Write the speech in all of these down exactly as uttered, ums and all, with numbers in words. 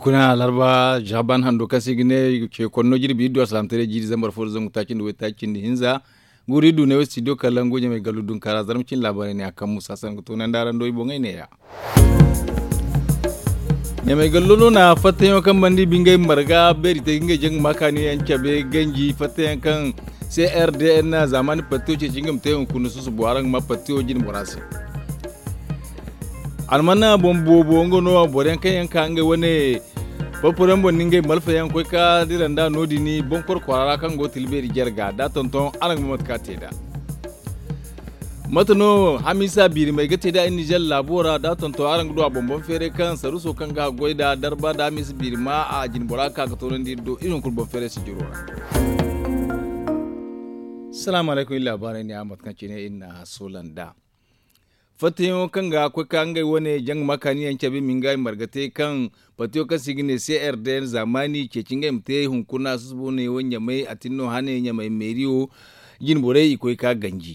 Kuna larba jaban hando kaŋ se i ga ne ce konno jirbi iddu alsalamtaray jiiri zambar fo da zangu taaci nda waytaaci nda hinza. Guuri iddu ne wo studio kala ngu ɲamay gallu dunkara zarma cin laabaray ne a kaŋ musa sanku tunandi araŋ do i boŋey neeya. Ɲamay gallo no na fattayaŋo kaŋ banda i bi ngey marga beeri te ga ngey jaŋ ga ma kaani yaŋ cabe ganji fattayaŋ kaŋ c r d n zaamaani pattiyo ceeci nga ma te hunkuna susubo araŋ ga ma pattiyo jine bora se. Almanna boŋ boobo nga no boro yaŋ kaŋ yaŋ ka ngey wane porporo yaŋ boŋ ni ngey malfa yaŋ koy ka dira nda no- din boŋ koro kwaara ra kaŋ go tilbeeri jarga da tonton araŋ ga ma mate ka te nd'a. Mate no hamiisa biirimey ga te nd'a iri nizer laabo ra da tonton araŋ ga du a boŋ boŋ feeray kaŋ saruuso kaŋ ga haggoy nd'a darba nda hamiisa biirima a jine bora ga ka ga toonandi iri do iri hunkuna boŋ feeray sijiro ra. Salaamu alaykum iri laabaarey ne a mate kaŋ cine iri na a soola nd'a. Fattayaŋo kaŋ ga koy ka ngey wane jaŋ ga ma kaani yaŋ cabe ma nga i marga te kaŋ partiyo kaŋ se i ga ne c r d n zaamaani ceeci ngey ma te hunkuna susubo ne wo ɲamay a tin no hane ɲamay meeriyo jine borey i koy ka ganji.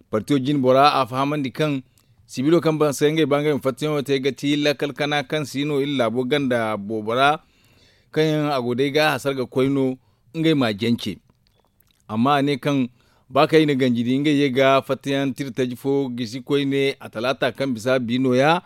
Partiyo jine bora a fahamandi kaŋ sibilo kaŋ baŋ se ngey ba ngey ma fattayaŋo te ga ti lakkal kana kaŋ si no iri laabo ganda boobo ra kaŋ yaŋ a go day ga a hasara ga koy no ngey ma a jance. Amma a ne kaŋ ba kaŋ i na ganji di ngey ye ga fattayaŋ tira taji fo gisi koyne a talaata kaŋ bisa bi nooya.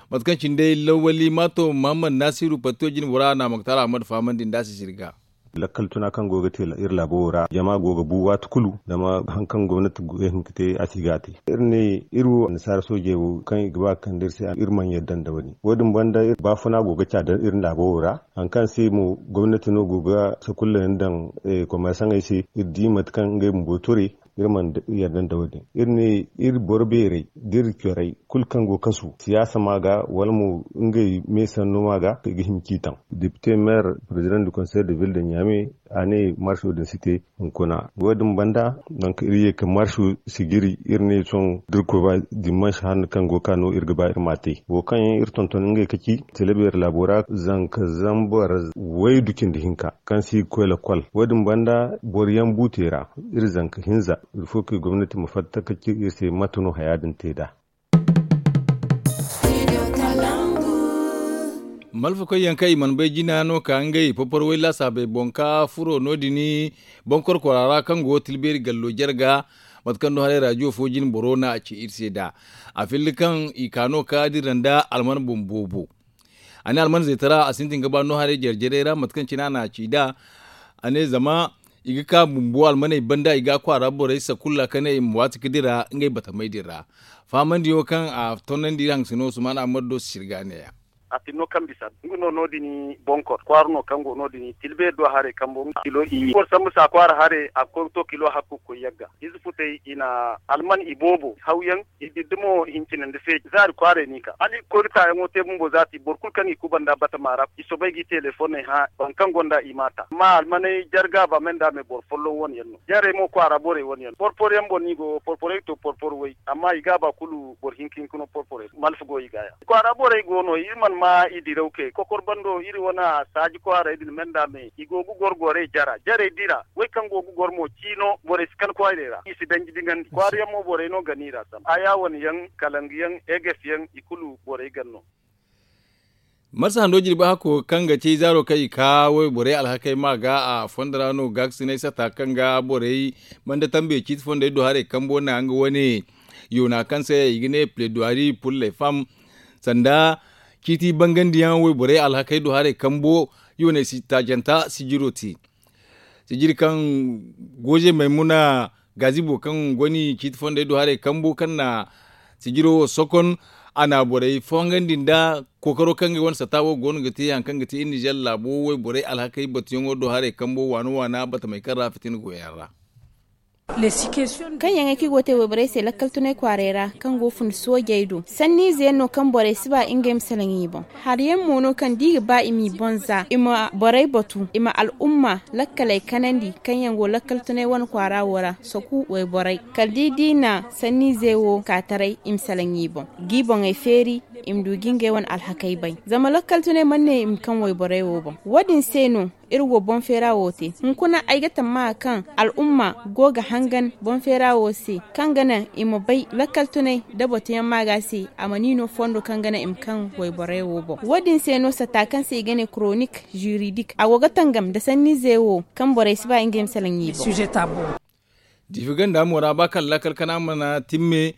Mate kaŋ cine day lawali maato muhammad naasiru patto jine bora na moktar ahmad fahamandi nda a si sirga. Lakkal tuna kaŋ go ga te iri laabo wo ra jama go ga bu waati kulu zama hari kaŋ gomnati ga hin ga te a si ga a te. Iri ne iri wo annasaara soojey wo kaŋ i ga ba ga kande iri se iri mana yadda nda wo- din wo- din banda baafuna go ga ca da iri laabo wo ra. Hari kaŋ se mo gomnati no go ga sakulla yaŋ daŋ komersaŋey se iri di mate kaŋ ngey bumbo ture. Iri mana yadda nda wo- din iri ne iri boro beerey da iri corey kulu kaŋ go kasu siyaasa ma ga wala mo ngey me sanno ma ga i ga hin ga ci taŋ. Depite meer president du konsey de ville de ɲame a ne marso din si te hunkuna wo- din banda. Donk iri ye ka marso sijiri iri ne sohõ da iri koy ba dimanche hanno kaŋ go ga ka no iri ga ba iri ma a te wo kaŋ yaŋ iri tonton ngey ka ci telebeeri laabo ra zanka zambar waydu cindi hinka kaŋ se i ga koy lakkol. Wo- din banda boro yaŋ buute ra iri zanka hinza. Iri fo kaŋ gomnati ma fatta ka ci iri se mate no haya din te nd'a. Malfakoy yaŋ kaŋ i mana bay jina no ka ngey porporo way laasaabey boŋ ka furo no- din boŋ korkora ra kaŋ go tilbeeri gallo jarga. Mate kaŋ no haray raajiyo fo jine boro na a ci iri se nd'a a filli kaŋ i ka no ka dira nda alman boŋ boobo. A ne alman zeetara a sintin ga ba no haray jare jarey ra mate kaŋ cine a na a ci nd'a. A ne zama i ga ka bumbo almaney banda i ga a kwaara borey sakulla ka ne i ma waati ga dira ngey batamey din ra. Fahamandiyaŋo kaŋ a tonnandi iri haŋ sino usman ahmad do si sirga neeya. A tin no kaŋ bisa nga no no- din bonkor kwaara no kaŋ go no- din tilbeeri do haray kambo kilo i boro sambu sa kwaara haray a ga koy ga to kilo hakku ga koy yagga ize futey i na alman i boobo hawyaŋ i diddi mo hincine nda feeji zaari kwaaray no i ka hala i ga koy ga taayaŋo te bumbo zaati boro kulu kaŋ i kubanda batama ra i soobay ga i telefoney hã boro kaŋ gonda i m'a ta amma almaney jarga ba me nda me boro folloŋ wane yaŋ no jarey mo kwaara borey wane yaŋ porporo yaŋ boŋ no i go porporey ga to porporo way amma i ga ba kulu boro hinka hinka no porporey malfa go i ga ya kwaara borey go no iri mana ma i diraw kay kokor bando iri wane saaji kwaaray din me nda me i go ga goro gorey jara jarey dira way kaŋ go ga goro mo ciino borey si kan kwaarey ra i si danji dingandi kwaara yaŋ mo borey no gana i ra sam aya wane yaŋ kalangu yaŋ eges yaŋ i kulu borey gan no. Marsa hando jirbi hakko kaŋ ga ci zaaro kaŋ i ka wayborey alhakey ma ga a fondo ra no gaakasinay sata kaŋ ga borey banda tambe ciiti fondey do haray kambo na nga wane yoona kaŋ se i ga ne pledoirie pour les femmes sanda ciiti bangandiyaŋ wayborey alhakey do haray kambo yoonay si taajanta sijiro te. Sijiri kaŋ gooje maymuna gazibo kaŋ goni ciiti fondey do haray kambo kaŋ na sijiro wo sokon a na borey fongandi nda kookaro kaŋ ga wane sata wo goono ga te hari kaŋ ga te iri nizer laabo wayborey alhakey batuyaŋo do haray kambo waana waana batamey kaŋ ra fitina goyaŋ ra. Kaŋ yaŋ ay kaŋ i go ga te wayborey se lakkal tunay kwaaray ra kaŋ go fun soojey do sanniize yaŋ no kaŋ borey si ba ngey ma salaŋ i boŋ. Hari yaŋ mo no kaŋ da i ga ba i m'i boŋ za i ma borey batu i ma al'umma lakkaley kanandi kaŋ yaŋ go lakkal tunay wane kwaara wo ra saku wayborey kala da i di na sanniize wo ka taray i ma salaŋ i boŋ g'i boŋey feeri. I ma du ga ngey wane alhakey bay zama lakkal tunay mana ne i ma kaŋ wayborey wo boŋ. Wo- din se no iri wo boŋ feera wo te. Hunkuna ay ga tammaha kaŋ al'umma go ga hangan boŋ feera wo se, kaŋ ga naŋ i ma bay lakkal tunay nda batuyaŋ maaga se, a mana i no fondo kaŋ ga naŋ i ma kaŋ wayborey wo boŋ. Wo- din se no satta kaŋ se i ga ne koronik jiridik, a go ga tangam nda sanniize wo kaŋ borey si ba ngey ma salaŋ i boŋ. Diifi ganda mo ra ba kala lakkal kana mana timme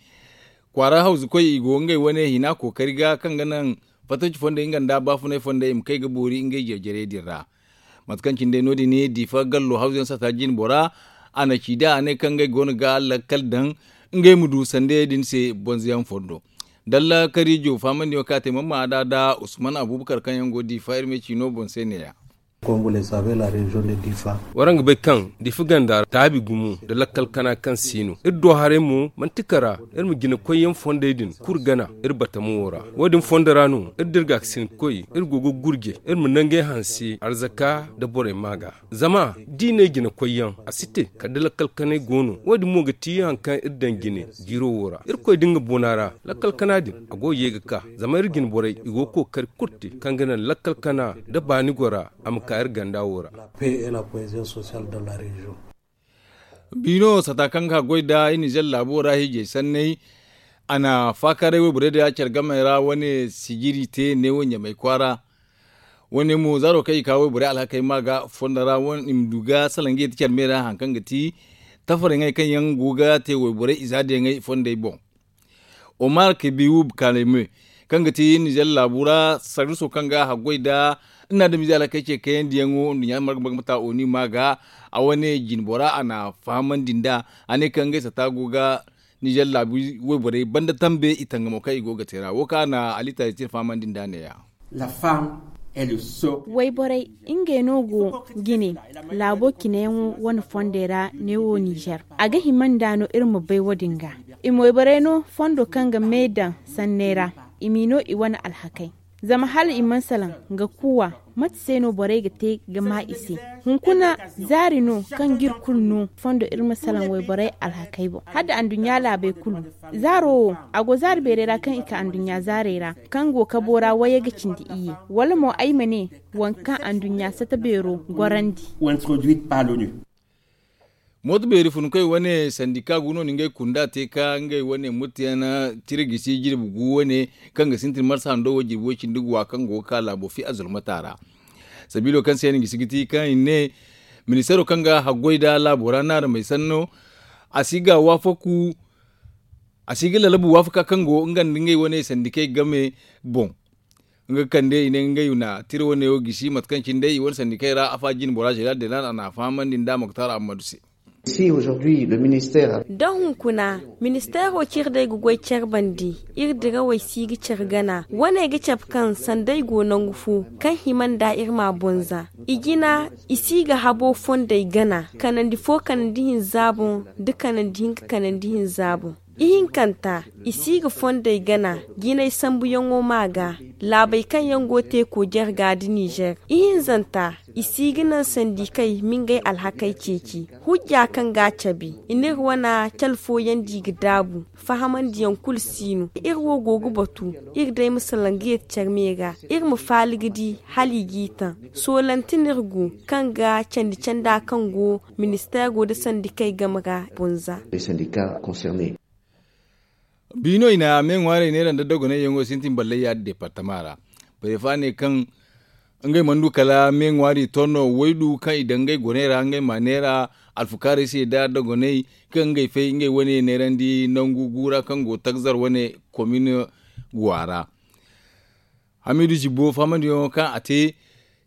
kwaara hawzukoy i go ngey wane hina kookari ga kaŋ ga naŋ fattaci fondey nga nda baafunay fondey i ma kay ga boori ngey jeejarey din ra. Mate kaŋ cine day no- din diifa gallo hawzuyaŋ sata jine bora, a na ci da a ne kaŋ ngey go no ga lakkal daŋ ngey ma du sandayey din se bonzoyaŋ fondo. Dalla kariijo faamandiyaŋo kaŋ a te mamma a da da usman abubakar kaŋ yaŋ go diifa iri ma ay ci no boŋ se ne- ya. Waraŋ ga bay kaŋ diifa ganda taabi gumo nda lakkal kana kaŋ si no iri do haray mo manti kara iri ma jinakoyyaŋ fondey din kulu gana iri batamo wo ra. Wo- din fondo ra no iri da iri gaakasinkoy iri go ga gurje iri ma nangey hanse arzaka nda borey maaga. Zama da i ne jinakoyyaŋ a si te kala da lakkal kanay go no. Wo- din mo ga ti hari kaŋ iri daŋ jine jiiro wo ra irkoy da nga bona ra lakkal kana din a go ga ye ga ka. Zama iri jine borey i go ga kookari kulu te kaŋ ga naŋ lakkal kana nda baani gora a ma ka iri ganda wo ra. Biino sata kaŋ ga goy nda iri nizer laabo ra hiijay sanney a na faakaaray wayborey da care gamey ra wane sijiri te neewo ɲamay kwaara. Wane mo zaaro kaŋ i ka wayborey alhakey ma ga fondo ra i ma du ga salaŋ ga yeti care me ra hari kaŋ ga ti tafarey ŋey kaŋ yaŋ go ga te wayborey izaadiyaŋey fondey boŋ. Omar kabiwub kaleme kaŋ ga ti nizer laabu ra sarriso kaŋ ga haggoy nda iri na adamize alhakey ce kayandi yaŋo nduɲɲa marga marga mata oni ma ga a wane jine bora a na fahamandi nd'a. A ne kaŋ ngey sata go ga nizer laabu wayborey banda tambe i tangamo kaŋ i go ga te ra wo kaŋ a na ali taasi tira fahamandi nd'a ne- ya. Wayborey ngey no go jine laabo cine yaŋo wane fondey ra neewo nizer. A ga hima nd'a no iri ma bay wo- din ga i ma wayborey no fondo kaŋ ga me daŋ sanney ra i m'i no i wane alhakey. Zama hala i mana salaŋ ga kuuwa mate se no borey ga te ga ma i se? Hunkuna zaari no kaŋ ga iri kulu no fondo iri ma salaŋ wayborey alhakey boŋ hala nda anduɲɲa laabey kulu. Zaaro wo a go zaari beerey ra kaŋ i ka anduɲɲa zaarey ra kaŋ go kabo ra wayey ga cindi iyye wala mo ay ma ne waŋ kaŋ anduɲɲa sata beero gorandi. Mooto beeri funkoy wane sandika gu no na ngey kunda te ka ngey wane muttiyaŋ tira gisi jirbi gu wane kaŋ ga sintin marsa hando wo jirbi way cindi guwa kaŋ go ga ka laabo fi a zulmata ra. Sabiilo kaŋ se yaŋ gisi ga ti kaŋ i ne ministeero kaŋ ga haggoy nda laabo ra naaramey sanno a si ga waafaku a si ga lalabu waafaka kaŋ go nga nda ngey wane sandikey game boŋ. Nga kande i ne ngey na tira wane wo gisi mate kaŋ cine day i wane sandikey ra afa jine bora zeral delan a na a fahamandi nda moktar ammadu se. Da hunkuna ministeero cire day ga goy care bandi iri dirawey si ga care gana wane ga cabe kaŋ sanda ay go nangu fo kaŋ hima nda iri ma bonza i jina i si ga habo fondey gana kanandi fo kanandi hinza boŋ da kanandi hinka kanandi hinza boŋ. Ihinkanta i si ga fondey gana jinay sambuyaŋo ma ga laabey kaŋ yaŋ go teeko jarga nda nizer. Ihinzanta i si ga naŋ sandikey ma ngey alhakey ceeci hujja kaŋ ga a cabe i n'iri wane cale fooyaŋ di ga daabu. Fahamandiyaŋ kulu si no iri wo go ga batu iri day ma salaŋ ga yeti care me ra iri ma faali ga di hala i g'i taŋ. Soolante no iri go kaŋ ga candi canda kaŋ go ministeero nda sandikey game ra bonza. Biino i na me ŋwaarey neera nda dogonay yaŋo sintin ballay yaadin departama ra. Prefa ne kaŋ ngey mana du kala me ŋwaari to no waydu kaŋ i daŋ ngey goney ra ngey ma neera alfukaarey se nda dogonay kaŋ ngey fay ngey wane neerandi nangu gu ra kaŋ go tagzar wane komin guwa ra. Hamidu zibbo fahamandiyaŋo kaŋ a te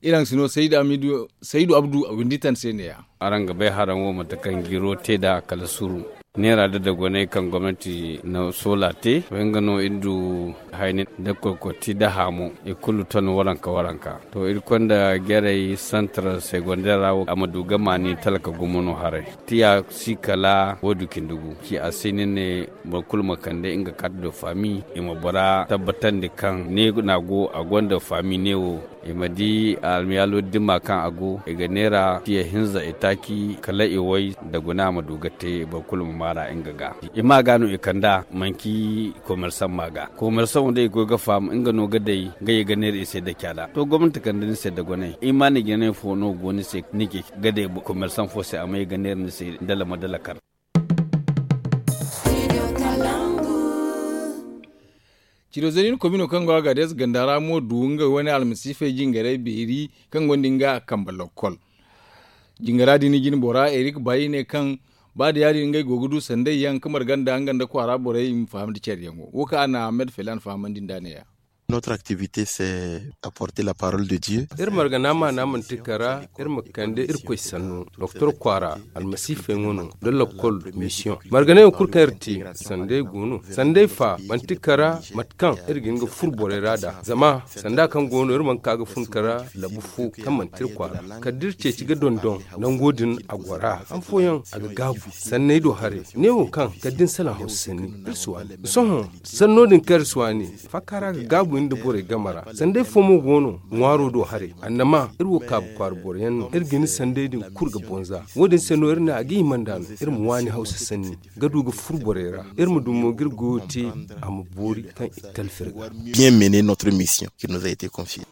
iri haŋ si no saydu abdu a windi tan se ne- ya. Araŋ ga bay haraŋ wo mate kaŋ jiro te nd'a kala suru neera nda dogonay kaŋ gomnanti na soola te. Way nga no iri du hayni nda korkorti nda haamo i kulu ton waranka waranka. To iri konda jarey santar segondeer ra wo a ma du ga maani talka gumo no haray. Tiya si kala waydu cindi gu ci a se ni ne boro kulu ma kande nga kaati do faami i ma bora tabbatandi kaŋ ne no a go a gonda faami ne wo. I ma di almiyaalo dimma kaŋ a go, i ga neera tiya hinza i taaci kala i way, da guna ma du ga te boro kulu ma maara nga ga. I ma ga no i kand'a manci komersaŋ ma ga komersaŋo da i goy ga faham nga no ga day. Nga ye ga neera i se da caada to gomnati kande ni se da gonay i ma ni jine fo no go ni se ni ga day komersaŋ fo se a ma ye ga neera ni se dala ma dala kar. Cido zari ni komino kaŋ go a ga deesa ganda ra mo du nga wane almasiifey jingaray beeri kaŋ gonda nga a kambe lokkol. Jingara din jine bora erik bay ne kaŋ ba da ya- din ngey go ga du sanday yaŋ ka marga nda nga nda kwaara borey i ma faham nda care yaŋo wo kaŋ a na ahmed felan fahamandi nda ne- ya. Notre activité c'est apporter la parole de dieu. Iri margana maana manti kara iri ma kande irkoy sanno doktor kwaara almasiifey ŋo no da lokkol mission margana yaŋ kulu kaŋ iri te. Sanday go no sanday fa manti kara mate kaŋ iri ga hin ga furo borey ra da zama sanda kaŋ go no iri mana ka ga fun kara labu fo kaŋ manti iri kwaara kala da iri ceeci ga dondon nango din a gora han fooyaŋ a ga gaabu sanney do haray neewo kaŋ kala da ni salaŋ hawsa sanni iri si waani sohõ sanno din kaŋ iri si waani faaka ra ga gaabu iri nda borey game ra sanday fo mo go no ŋwaaro do haray annama iri wo kaabu kwaara boro yaŋ no iri ga ni sanday din kulu ga bonza wo-din se no iri ne a ga hima nd'a no iri ma waani hawsa sanni ga du ga furo borey ra iri ma du mo ga iri goyo te a ma boori kaŋ i ga talfi iri ga. Bien mener notre mission qui nous a été confiée.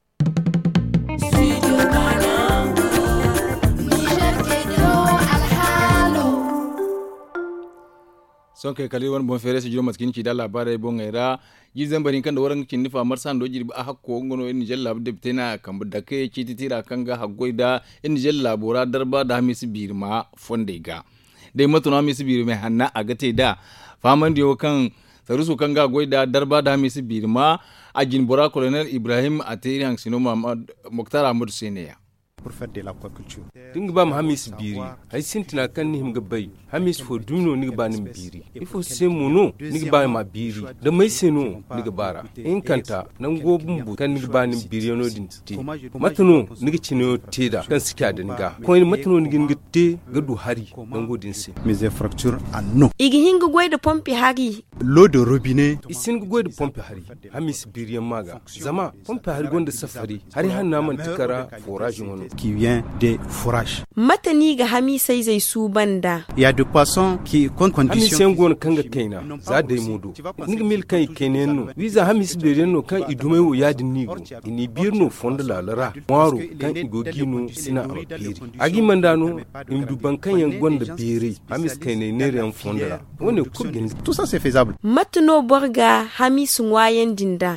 Sohõ kay kala iri wane boŋ feeray se jiro mate kaŋ ni ci nd'a laabaarey boŋey ra. Jiiri zambar hinka nda waranka cindi fa marsa hando jirbi a hakko nga no iri nizer laabu depite no a kambe dake ciiti tiira kaŋ ga haggoy nda iri nizer laabo ra darba nda hamiisa biirima fondey ga. Day mate no hamiisa biirimey hanna a ga te nd'a fahamandiyaŋo kaŋ saruuso kaŋ ga a goy nd'a darba nda hamiisa biirima a jine bora kolonel ibrahim a te iri haŋasino moktar ahmadu se ne- ya. Da ni ga ba ma hamiisa biiri hari sintina kaŋ ni hima ga bay hamiisa fo dumi no ni ga ba ni ma biiri ifo se mo no ni ga ba ma biiri da may se no ni ga ba ra ihinkanta nango bumbo kaŋ ni ga ba ni ma biiriyaŋo din te mate no ni ga cinayaŋo te nd'a kaŋ si ca da ni ga koyne mate no ni ga hin ga te ga du hari nango din se. I ga hin ga goy nda pompi hari. Lo de robine i si hin ga goy nda pompi hari hamiisa biiriyaŋ ma ga zama pompi hari gonda safari hari hanna manti kara forage wane. Mate no i ga hamiisa izey suuban nd'a? Hamiisa yaŋ go no kaŋ ga kayna za day mo do ni ga miila kaŋ i kayna yaŋ no wiiza hamiisa beeri yaŋ no kaŋ i dumey wo ya- din no i go i n'i biiri no fondo laala ra ŋwaaro kaŋ i go ga i no sina a ma beeri a ga i manda no i ma du boro kaŋ yaŋ gonda beeray hamiisa kaynay neera yaŋ fondo ra. Wo- ne kulu ga ni. Mate no boro ga hamiisa ŋwaayandi nd'a?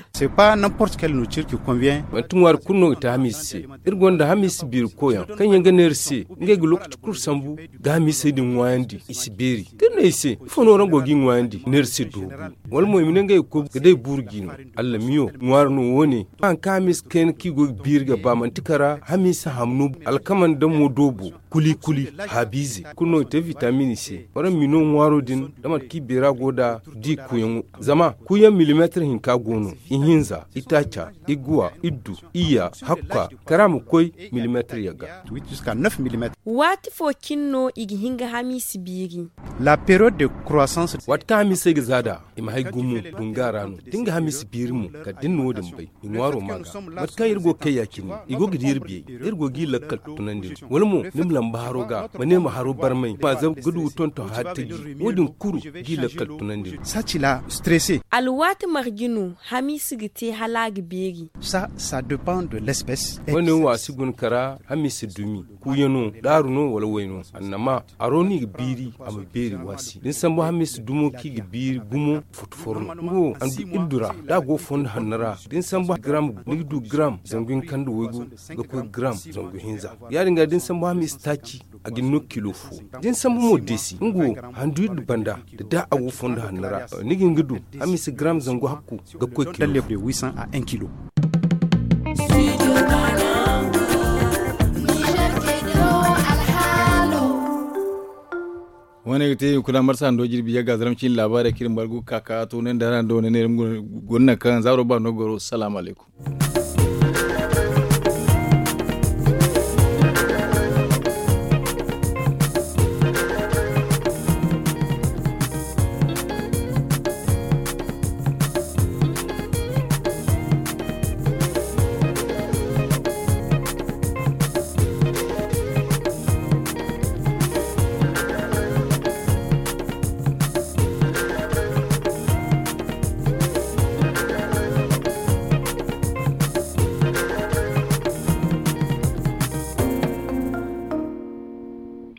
Manti ŋwaari kulu no ga te hamiisa se. Iri gonda hamiisa biiri koyyaŋ kaŋ yaŋ ga ne iri se ngey ga lookaci kulu sambu ga hamiisey din ŋwaayandi i si beeri da iri ne i se ifo no araŋ go ga i ŋwaayandi neera se doobu wala mo i ma ne ngey ga koy ga day buuru jiino. Allamiyo ŋwaari no wo- ne haŋ kaŋ hamiisa kayna kaŋ i go ga biiri ga ba manti kara hamiisa hamno alkama nda mo doobo kuli kuli haabiize kulu no i te vitamin i se waraŋ ma i no ŋwaaro din da mate kaŋ i beera go nd'a da i kuuyaŋo zama kuuyaŋ milimeetir hinka go no ihinza itaaca iguwa iddu iyya hakka kara ma koy milimeetir yagga. Waati fo cine no i ga hin ga hamiisa biiri? Waati kaŋ hamiisey ga za nd'a i ma hay gumo dunga ra no da ni ga hamiisa biiri mo kala da ni na wo- din bay i ŋwaaro ma ga mate kaŋ iri go ga kay ya- cine i go ga di iri biyey iri go ga i lakkal tunandi no wala mo ni ma lamba haro ga ma ne ma haro barmay ma zabu ga du ga tonton hari taji wo- din kulu ga i lakkal tunandi no. Alwaati marje no hamiisa ga te hala a ga beeri? Wo- ne wo a si guna kara hamiisa dumi kuuyaŋo daaru no wala wayno annama haro no i ga biiri a ma beeri waasi da ni sambu hamiisa dumo kaŋ i ga biiri gumo foto foro no nga wo a du iddu ra da a go fondo hanno ra da ni sambu garam ni ga du garam zangu hinka nda waygu ga koy garam zangu hinza ya- din ga da ni sambu hamiisa taaci a ga ni no kilo fo da ni sambu mo deesi nga wo handu iddu banda da da a go fondo hanno ra ni ga hin ga du hamiisa garam zangu hakku ga koy kilo fo. Wo- ne ga te i kuna marsa hando jirbi yagga zaram cine laabaarey kaŋ iri margu ga ka ka to ne nda hara nda wane ne iri ma guna nangu kaŋ zaaro ba no goro salaamu alaykum.